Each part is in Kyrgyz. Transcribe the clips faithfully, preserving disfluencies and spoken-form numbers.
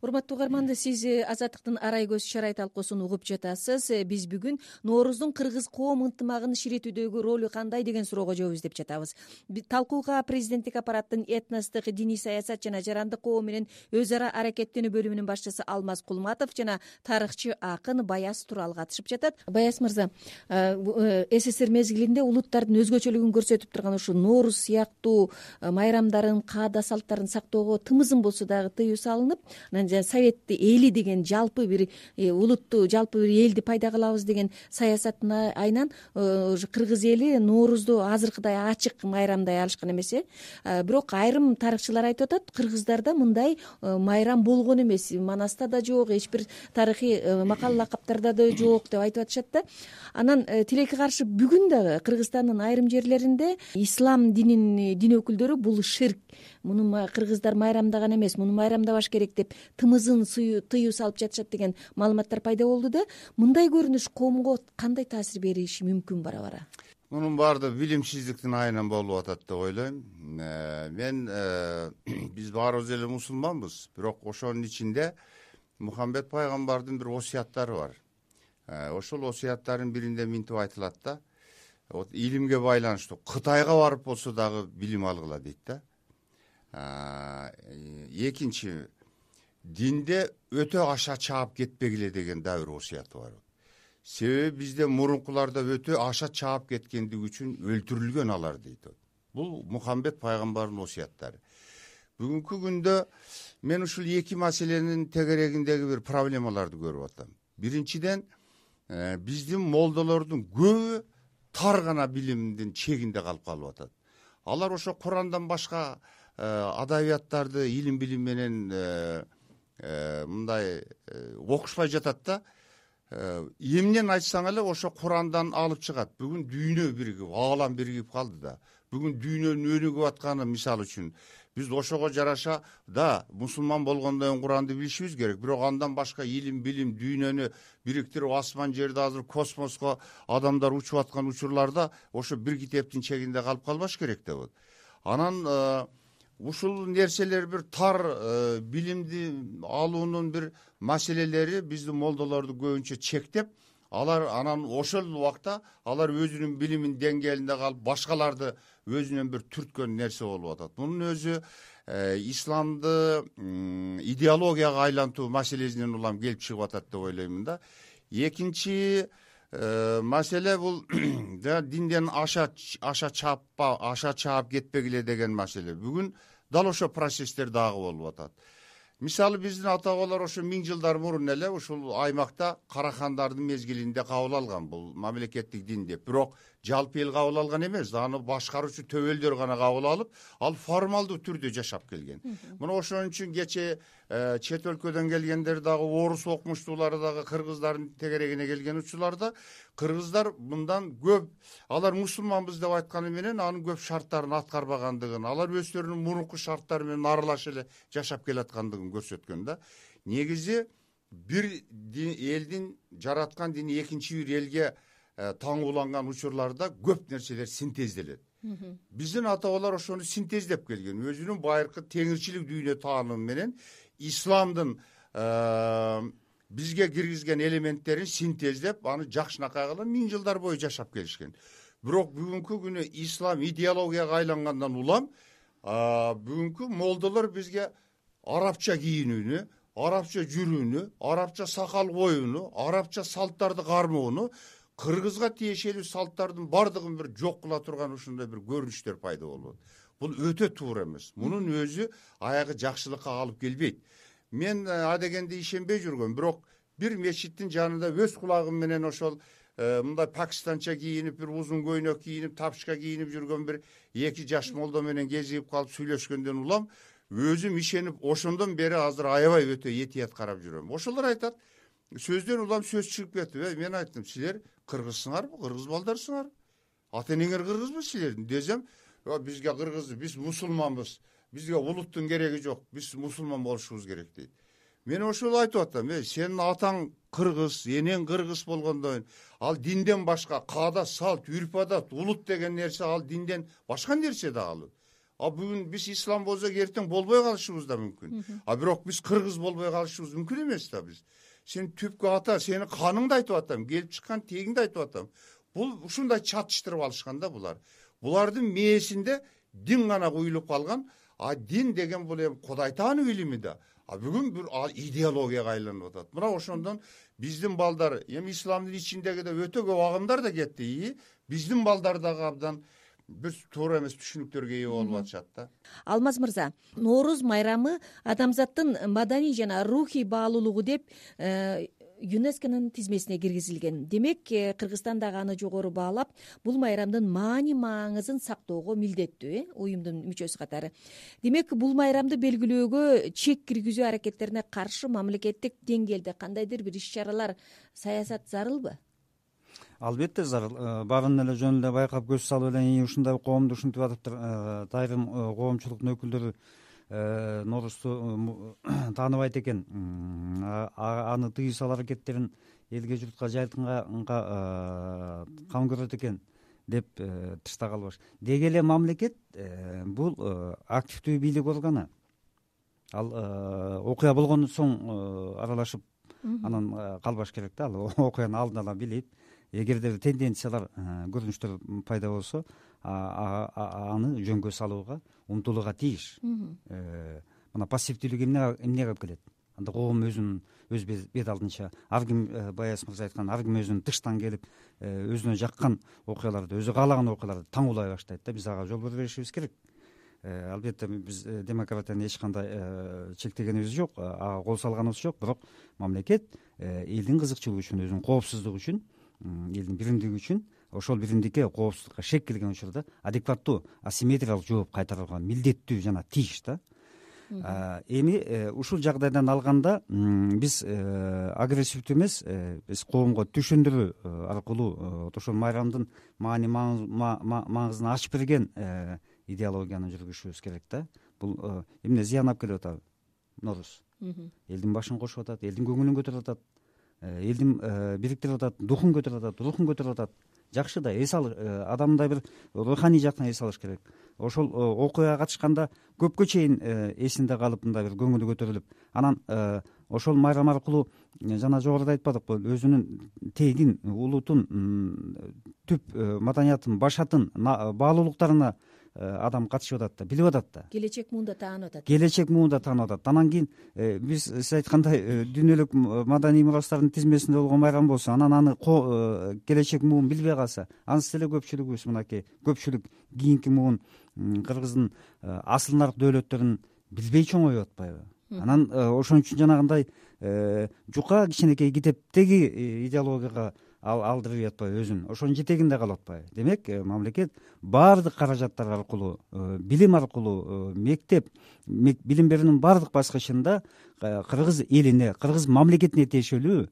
урматтуу угармандар, сиз Азаттыктын арай көз шарай талкуусун угуп жатасыз. Биз бүгүн Нооруздун кыргыз коом ынтымагын ширитүүдөгү ролу кандай деген суроого жооп издеп жатабыз. Талкууга президенттик аппараттын этностук, диний саясат жана жарандык коом менен өз ара аракеттенүү бөлүмүнүн башчысы Алмаз Кулматов жана тарыхчы акын Баяз Турал катышып жатат. Баяз мырза, СССР мезгилинде улуттардын өзгөчөлүгүн көрсөтүп турган ушу Нооруз сыяктуу майрамдарын, каада салттарын сактоого тымызын болсо дагы тыюу салынып, анан совет эли деген жалпы бир улутту, жалпы бир элди пайда кылабыз деген саясаттын айынан кыргыз эли Ноорузду азыркыдай ачык майрамдай алышкан эмес э. Бирок айрым тарыхчылар айтып атат, кыргыздарда мындай майрам болгон эмес, Манаста да жок, эч бир тарыхый макал лакаптарда да жок деп айтып атышат да. Анан тилекке каршы бүгүн дагы Кыргызстандын айрым жерлеринде ислам дининин дин өкүлдөрү бул ширк, муну кыргыздар майрамдаган эмес, муну майрамдабаш керек деп тымызын тыюу салып жатышат деген маалыматтар пайда болду да. Мындай көрүнүш коомго кандай таасир бериши мүмкүн бара-бара? Мунун баардыгы билимсиздиктин айынан болуп атат деп ойлойм. Мен биз баарыбыз эле мусулманбыз, бирок ошонун ичинде Мухаммед пайгамбардын бир осуяттары бар. Ошол осуяттарынын биринде минтип айтылат да, вот илимге байланыштуу Кытайга барып болсо дагы билим алгыла дейт да. Экинчи, динде өтө аша чаап кетпегиле деген да бир осуяты бар. Себеби бизде мурункуларда өтө аша чаап кеткендиги үчүн өлтүрүлгөн алар дейт. Бул Мухаммед пайгамбардын осуяттары. Бүгүнкү күндө мен ушул эки маселенин тегерегиндеги бир проблемаларды көрүп атам. Биринчиден, биздин молдолордун көбү тар гана билимдин чегинде калып калып атат. Алар ошо Курандан башка адабияттарды илим билим менен мындай окушпай жатат да. Эмнен айтсаң эле ошо Курандан алып чыгат. Бүгүн дүйнө биригип, аалам биригип калды да. Бүгүн дүйнөнүн өнүгүп атканы мисал үчүн биз ошого жараша да мусулман болгондон кийин Куранды билишибиз керек, бирок андан башка илим билим дүйнөнү бириктирип асман жерди азыр космоско адамдар учуп аткан учурларда ошо бир китептин чегинде калып калбаш керек деп. Анан ушул нерселер бир тар билимди алуунун бир маселелери биздин молдолорду көбүнчө чектеп, алар анан ошол убакта алар өзүнүн билимин деңгээлинде калып, башкаларды өзүнөн бир түрткөн нерсе болуп атат. Мунун өзү исламды идеологияга айлантуу маселесинен улам келип чыгып атат деп ойлоймун да. Экинчи маселе бул динден аша аша чааппа, аша чаап кетпегиле деген маселе. Бүгүн дал ошо процесстер дагы болуп атат. Мисалы биздин ата бабалар ошо миң жылдар мурун эле ушул аймакта карахандардын мезгилинде кабыл алган бул мамлекеттик дин деп. Бирок жалпы эл кабыл алган эмес, аны башкаруучу төбөлдөр гана кабыл алып, ал формалдуу түрдө жашап келген. Мына ошон үчүн кече чет өлкөдөн келгендер дагы, орус окумуштуулары дагы кыргыздардын тегерегине келген учурларда кыргыздар мындан көп, алар мусулманбыз деп айтканы менен анын көп шарттарын аткарбагандыгын, алар өздөрүнүн мурунку шарттары менен аралашып эле жашап келаткандыгын көрсөткөн да. Негизи бир элдин жараткан дини экинчи бир элге таңууланган учурларда көп нерселер синтезделет. Биздин ата бабалар ошону синтездеп келген. Өзүнүн байыркы теңирчилик дүйнө таанымы менен исламдын бизге киргизген элементтерин синтездеп, аны жакшынакай кылып миң жылдар бою жашап келишкен. Бирок бүгүнкү күнү ислам идеологияга айлангандан улам бүгүнкү молдолор бизге арабча кийинүүнү, арабча жүрүүнү, арабча сакал коюуну, арабча салттарды кармоону, кыргызга тиешелүү салттардын бардыгын бир жок кыла турган ушундай бир көрүнүштөр пайда болот. Бул өтө туура эмес. Мунун өзү аягы жакшылыкка алып келбейт. Мен адегенде ишенбей жүргөм, бирок бир мечиттин жанында өз кулагым менен ошол мындай пакистанча кийинип, бир узун көйнөк кийинип, тапчка кийинип жүргөн бир эки жаш молдо менен кезигип калып сүйлөшкөндөн улам өзүм ишенип, ошондон бери азыр аябай өтө этият карап жүрөм. Ошолор айтат, сөздөн улам сөз чыгып кетти. Мен айттым, силер кыргызсыңарбы, кыргыз балдарсыңар? Ата энеңер кыргызбы силердин? Десем, бизге кыргыз, биз мусулманбыз. Бизге улуттун кереги жок. Биз мусулман болушубуз керек дейт. Мен ошол айтып атам, сенин атаң кыргыз, энең кыргыз болгондон ал динден башка каада, салт, үрп адат, улут деген нерсе ал динден башка нерсе да ал. а бүгүн биз ислам болсок эртең болбой калышыбыз да мүмкүн, а бирок биз кыргыз болбой калышыбыз мүмкүн эмес да. Биз сен түпкү ата, сенин каныңды айтып атам, келип чыккан тегиңди айтып атам. Бул ушундай чатыштырып алышкан да булар. Булардын мээсинде дин гана куюлуп калган. А дин деген бул эми Кудай таануу илими да. А бүгүн бир идеологияга айланып атат. Мына ошондон биздин балдар эми исламдын ичиндеги да өтө көп агымдар да кетти. Биздин балдар дагы абдан бир туура эмес түшүнүктөргө ээ болуп атышат да. Алмаз мырза, Нооруз майрамы адамзаттын маданий жана рухий баалуулугу деп ЮНЕСКОнун тизмесине киргизилген. Демек, Кыргызстан дагы аны жогору баалап, бул майрамдын маани маңызын сактоого милдеттүү, э, уюмдун мүчөсү катары. Демек, бул майрамды белгилөөгө чек киргизүү аракеттерине каршы мамлекеттик деңгээлде кандайдыр бир иш-чаралар, саясат зарылбы? Албетте зарыл. Баарын эле жөн эле байкап көз салып эле ушундай коомду ушинтип атыптыр. Айрым коомчулуктун өкүлдөрү Ноорузду тааныбайт экен, аны тыюу салуу аракеттерин элге журтка жайылтынга кам көрөт экен деп тыштагалбаш. Деги эле мамлекет бул активдүү бийлик органы. Ал окуя болгондон соң аралашып анан калбаш керек да. Ал окуяны алдын ала билип, эгерде тенденциялар, көрүнүштөр пайда болсо, аны жөнгө салууга умтулууга тийиш. Мына пассивдүүлүк эмне эмнеге алып келет? Анда коом өзүнүн өз бет алдынча, ар ким Баяз мырза айткан, ар ким өзүнүн тыштан келип өзүнө жаккан окуяларды, өзү каалаган окуяларды таңуулай баштайт да. Биз ага жол бербешибиз керек. Албетте биз демократияны эч кандай чектегенибиз жок, ага кол салганыбыз жок, бирок мамлекет элдин кызыкчылыгы үчүн, өзүнүн коопсуздугу үчүн, элдин биримдиги үчүн, ошол биримдикке, коопсуздукка шек келген учурда адекваттуу, асимметриялык жооп кайтарууга милдеттүү жана тийиш да. Эми ушул жагдайдан алганда биз агрессивдүү эмес, биз коомго түшүндүрүү аркылуу ошол майрамдын маани маңызын ачып берген идеологияны жүргүзүшүбүз керек да. Бул эмне зыян алып келип атат? Нооруз элдин башын кошуп атат, элдин көңүлүн көтөрүп атат, элдин бириктирип атат, духун көтөрүп атат, рухун көтөрүп атат. Жакшы да, эс ал адамдай бир руханий жактан эс алыш керек. Ошол окуяга катышканда көпкө чейин эсинде калып, мындай бир көңүлү көтөрүлүп, анан ошол майрам аркылуу жана жогоруда айтпадыкпы, өзүнүн тегин, улутун, түп маданиятын, башатын, баалуулуктарына адам катышып атат да, билип атат да. Келечек муунда таанып атат. Келечек муунда таанып атат. Анан кийин биз сиз айткандай дүйнөлүк маданий мурастардын тизмесинде болгон майрам болсо, анан аны келечек муун билбей калса, анысы эле көпчүлүгүбүз мынакей көпчүлүк кийинки муун Кыргыздын асыл нарк дөөлөттөрүн билбей чоңоюп атпайбы? Анан ошон үчүн жанагындай жука кичинекей китептеги идеологияга алдырып атпайбы өзүн, ошонун жетегинде калып атпайбы? Демек, мамлекет баардык каражаттар аркылуу, билим аркылуу, мектеп, билим берүүнүн баардык баскычында кыргыз элине, кыргыз мамлекетине тиешелүү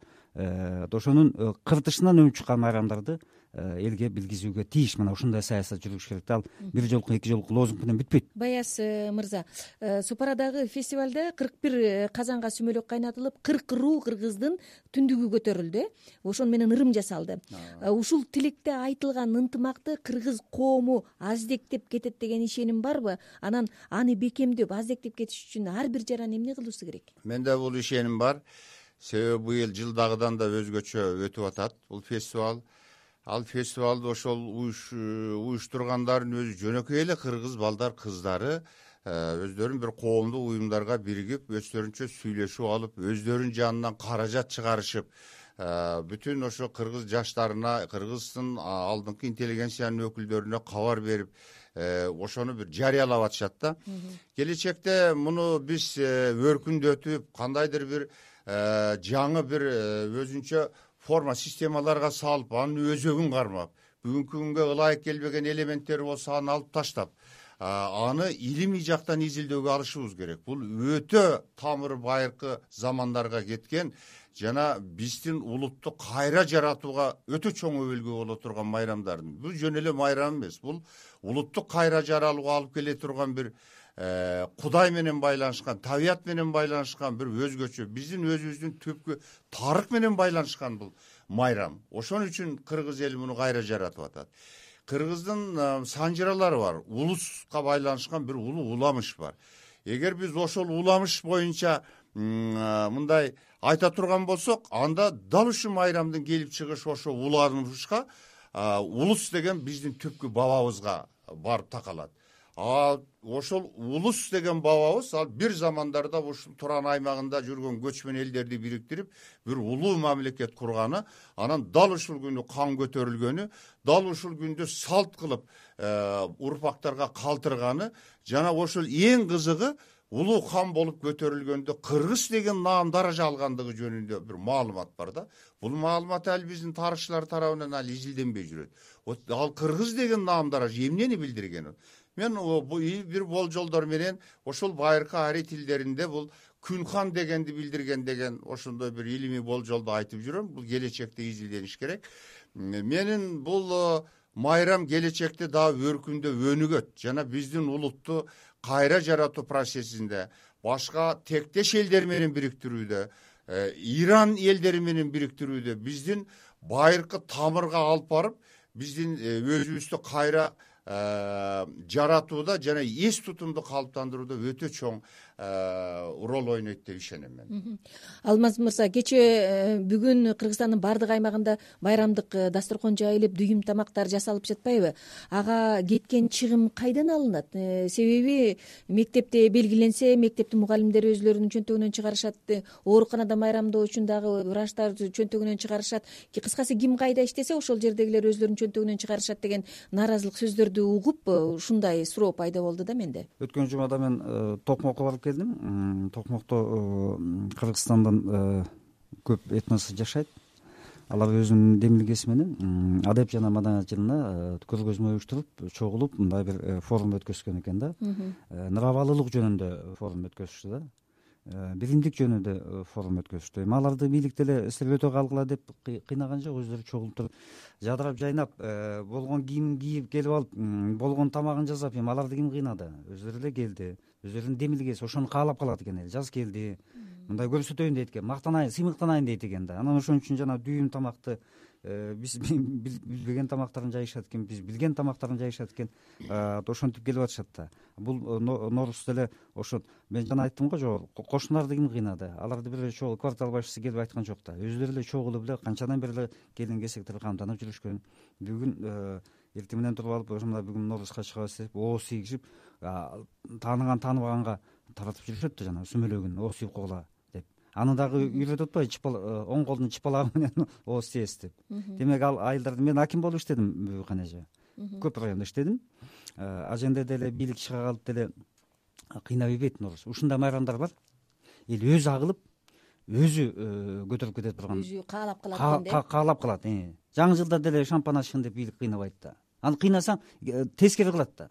ошонун кыртышынан өнүп чыккан майрамдарды элге билгизүүгө тийиш. Мына ушундай саясат жүргүзүш керек да. Ал бир жолку, эки жолку лозунг менен бүтпөйт. Баяз мырза, Супарадагы фестивалда кырк бир казанга сүмөлөк кайнатылып, кырк руу кыргыздын түндүгү көтөрүлдү. Ошону менен ырым жасалды. Ушул тилекте айтылган ынтымакты кыргыз коому аздектеп кетет деген ишеним барбы? Анан аны бекемдеп, аздектеп кетиш үчүн ар бир жаран эмне кылуусу керек? Менде бул ишеним бар. Себеби быйыл жылдагыдан да өзгөчө өтүп атат бул фестиваль. Ал фестивалды ошол уюштургандардын өзү жөнөкөй эле кыргыз балдар, кыздары өздөрүн бир коомдук уюмдарга биригип, өздөрүнчө сүйлөшүп алып, өздөрүнүн жанынан каражат чыгарышып, бүтүн ошо кыргыз жаштарына, кыргыздын алдыңкы интеллигенциянын өкүлдөрүнө кабар берип, ошону бир жарыялап атышат да. Келечекте муну биз өркүндөтүп, кандайдыр бир жаңы бир өзүнчө форма, системаларга салып, анын өзөгүн кармап, бүгүнкү күнгө ылайык келбеген элементтери болсо аны алып таштап, аны илимий жактан изилдөөгө алышыбыз керек. Бул өтө тамыры байыркы замандарга кеткен жана биздин улутту кайра жаратууга өтө чоң өбөлгө боло турган майрамдардын. Бул жөн эле майрам эмес, бул улутту кайра жаралууга алып келе турган бир Кудай менен байланышкан, табият менен байланышкан бир өзгөчө, биздин өзүбүздүн түпкү тарых менен байланышкан бул майрам. Ошон үчүн кыргыз эли муну кайра жаратып атат. кыргыздын санжыралары бар, улуска байланышкан бир улуу уламыш бар. Эгер биз ошол уламыш боюнча мындай айта турган болсок, анда дал ушул майрамдын келип чыгышы ошо уламышка, улус деген биздин түпкү бабабызга барып такалат. А ошол улус деген бабабыз ал бир замандарда ушул Туран аймагында жүргөн көчмөн элдерди бириктирип бир улуу мамлекет курганы, анан дал ушул күнү кан көтөрүлгөнү, дал ушул күндө салт кылып урпактарга калтырганы, жана ошол эң кызыгы улуу хан болуп көтөрүлгөндө кыргыз деген наам даража алгандыгы жөнүндө бир маалымат бар да. Бул маалымат ал биздин тарыхчылар тарабынан ал изилденбей жүрөт. Ал кыргыз деген наам даража эмнени билдирген? Мен бир болжолдор менен ошол байыркы ари тилдеринде бул Күнхан дегенди билдирген деген ошондой бир илимий болжолду айтып жүрөм. Бул келечекте изилдениш керек. Менин бул майрам келечекте дагы өркүндө өнүгөт жана биздин улутту кайра жаратуу процессинде башка тектеш элдер менен бириктирүүдө, Иран элдери менен бириктирүүдө, биздин байыркы тамырга алып барып, биздин өзүбүздү кайра жаратууда жана эс тутумду калыптандырууда өтө чоң роль ойнойт деп ишенем мен. Алмаз мырза, кечээ бүгүн Кыргызстандын бардык аймагында байрамдык дасторкон жайылып, дүйүм тамактар жасалып жатпайбы? Ага кеткен чыгым кайдан алынат? Себеби мектепте белгиленсе, мектептин мугалимдери өзлөрүнүн чөнтөгүнөн чыгарышат, ооруканада майрамдоо үчүн дагы врачтар чөнтөгүнөн чыгарышат. Кыскасы ким кайда иштесе, ошол жердегилер өзлөрүнүн чөнтөгүнөн чыгарышат деген нааразылык сөздөрдү угуп, ушундай суроо пайда болду да менде. Өткөн жумада мен Токмокко барып келдим. Токмокто Кыргызстандын көп этносу жашайт. Алар өзүнүн демилгеси менен адеп жана маданият жылына көргөзмө уюштуруп, чогулуп мындай бир форум өткөзгөн экен да. Нравалылык жөнүндө форум өткөзүштү да. Биримдик жөнүндө форум өткөзүштү. Эми аларды бийлик деле силер өтө калгыла деп кыйнаган жок, өзүлөрү чогулуп туруп, жадырап жайнап, болгон кийимин кийип келип алып, болгон тамагын жасап, эми аларды ким кыйнады? Өзүлөрү эле келди. Өзүлөрүнүн демилгеси ошону каалап калат экен эл. Жаз келди, мындай көрсөтөйүн дейт экен, мактанайын, сыймыктанайын дейт экен да. Анан ошон үчүн жана дүйүм тамакты биз билбеген тамактарын жайышат экен, биз билген тамактарын жайышат экен. Ошентип келип атышат да. Бул Норус деле ошо мен жана айттым го, жок, кошуналарды ким кыйнады? Аларды бир эле чогуу квартал башчысы келип айткан жок да. Өзүлөрү эле чогулуп эле канчадан бери эле келин кесектер камданып жүрүшкөн. Бүгүн эртең менен туруп алып, ошондо бүгүн Норузга чыгабыз деп ооз тийгизип, тааныган тааныбаганга таратып жүрүшөт да, жана сүмөлөгүн ооз тийип койгула деп. Аны дагы үйрөтүп атпайбы, оң колдун чыпалагы менен ооз тийесиз деп. Демек ал айылдарды мен аким болуп иштедим Бүбүкан эже. Көп райондо иштедим. Аженде деле бийлик чыга калып деле кыйнап ийбейт Норус. Ушундай майрамдар бар. Эл өзү агылып, өзү көтөрүп кете турган. Өзү каалап калат экен. Каалап калат. Жаңы жылда деле шампан ачкын деп бийлик кыйнабайт да. Аны кыйнасаң тескери кылат да.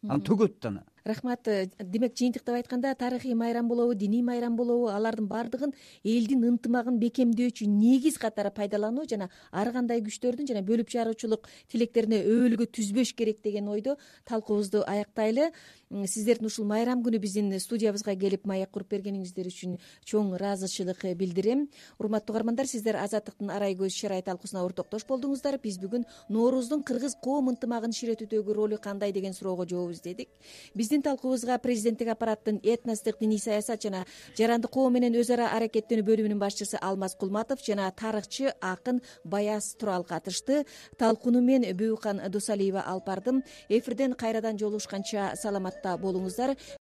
Аны төгөт да аны. Рахмат. Демек, жыйынтыктап айтканда, тарыхый майрам болобу, диний майрам болобу, алардын бардыгын элдин ынтымагын бекемдөөчү негиз катары пайдалануу жана ар кандай күчтөрдүн жана бөлүп жаруучулук тилектерине өбөлгө түзбөш керек деген ойдо талкуубузду аяктайлы. Сиздердин ушул майрам күнү биздин студиябызга келип маек куруп бергениңиздер үчүн чоң ыраазычылык билдирем. Урматтуу угармандар, сиздер Азаттыктын арай көз шарай талкуусуна ортоктош болдуңуздар. Биз бүгүн Норуздун кыргыз коом ынтымагын кичиретүүдөгү ролу кандай деген суроого жооп издедик. Биздин талкуубузга президенттик аппараттын этностук диний саясат жана жарандык коом менен өз ара аракеттенүү бөлүмүнүн башчысы Алмаз Кулматов жана тарыхчы акын Баяз Турал катышты. Талкууну мен Бүбүкан Досалиева алып бардым. Эфирден кайрадан жолугушканча саламатта болуңуздар.